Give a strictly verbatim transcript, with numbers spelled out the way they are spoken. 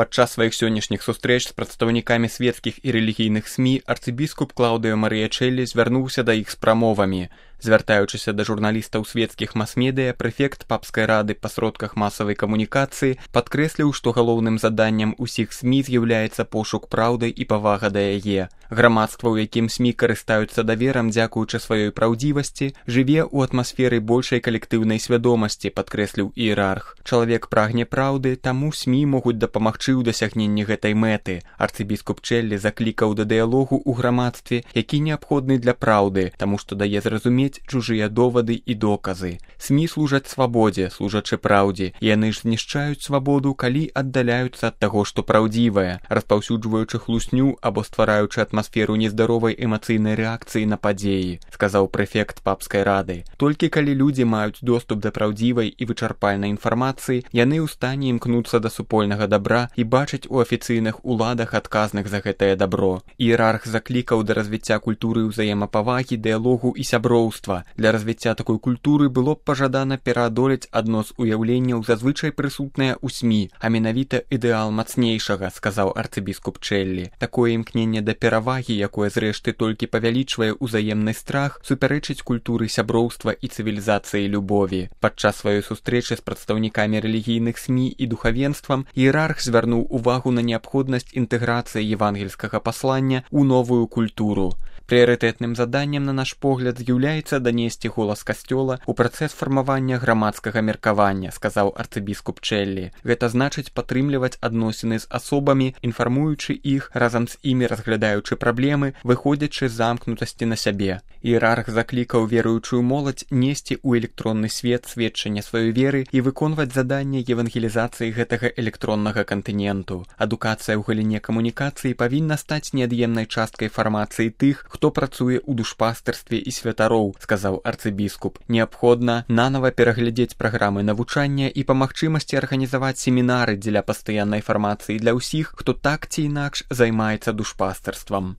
Падчас сваіх сённяшніх сустрэч з прадстаўнікамі светскіх і рэлігійных СМІ арцыбіскуп Клаўдыо Марыячэлі звярнуўся да іх з прамовамі. Звяртаючыся да журналістаў светскіх мас-медыя, прэфект папскай рады па сродках масавай камунікацыі падкрэсліў, што галоўным заданнем усіх СМІ з'яўляецца пошук праўды і павага да яе. Грамадства, у якім СМІ карыстаюцца даверам дзякуючы сваёй праўдзівасці, жыве ў атмасферы большай калектыўнай свядомасці, падкрэсліў іерарх. Чалавек прагне праўды, таму СМІ могуць дапамагчы ў дасягненні гэтай мэты. Арцыбіскуп Чэллі заклікаў да дыялогу ў грамадстве, які неабходны для праўды, таму што дае зразумець чужыя довады і доказы. СМІ служаць свабодзе, служачы праўдзе. Яны ж знішчаюць свабоду, калі аддаляюцца ад таго, што праўдзівае, распаўсюджваючы хлусню або ствараючы атмасферу нездаровай эмацыйнай рэакцыі на падзеі, сказаў прэфект папскай рады. Толькі калі людзі маюць доступ да праўдзівай і вычарпальнай інфармацыі, яны ў стане імкнуцца да супольнага дабра і бачаць у афіцыйных уладах адказных за гэтае дабро. Іерарх заклікаў да развіцця культуры ўзаемапавагі, дыялогу і сяброўства. Для развіцця такой культуры было б пажадана пераадолець адно з уяўленняў зазвычай прысутнае ў СМІ, а менавіта ідэал мацнейшага, сказаў арцыбіскуп Чэллі. Такое імкненне да перавагі, якое зрэшты толькі павялічвае ўзаемны страх, супярэчыць культуры сяброўства і цывілізацыі любові. Падчас сваёй сустрэчы з прадстаўнікамі рэлігійных СМІ і духавенствам іерарх звярнуў увагу на неабходнасць інтэграцыі евангельскага паслання ў новую культуру. Прыярытэтным заданнем, на наш погляд, з'яўляецца данесці голас касцёла ў працэс фармавання грамадскага меркавання, сказаў арцыбіскуп Чэллі. Гэта значыць падтрымліваць адносіны з асобамі, інфармуючы іх, разам з імі разглядаючы праблемы, выходзячы з замкнутасці на сябе. Іерарх заклікаў веруючую моладзь несці ў электронны свет сведчанне сваёй веры і выконваць заданне евангелізацыі гэтага электроннага кантыненту. Адукацыя ў галіне камунікацыі павінна стаць неад'емнай часткай фармацыі тых, хто працуе ў душпастырстве і святароў, сказаў арцыбіскуп. Неабходна нанава пераглядзець праграмы навучання і па магчымасці арганізаваць семінары дзеля пастаяннай фармацыі для ўсіх, хто так ці інакш займаецца душпастырствам.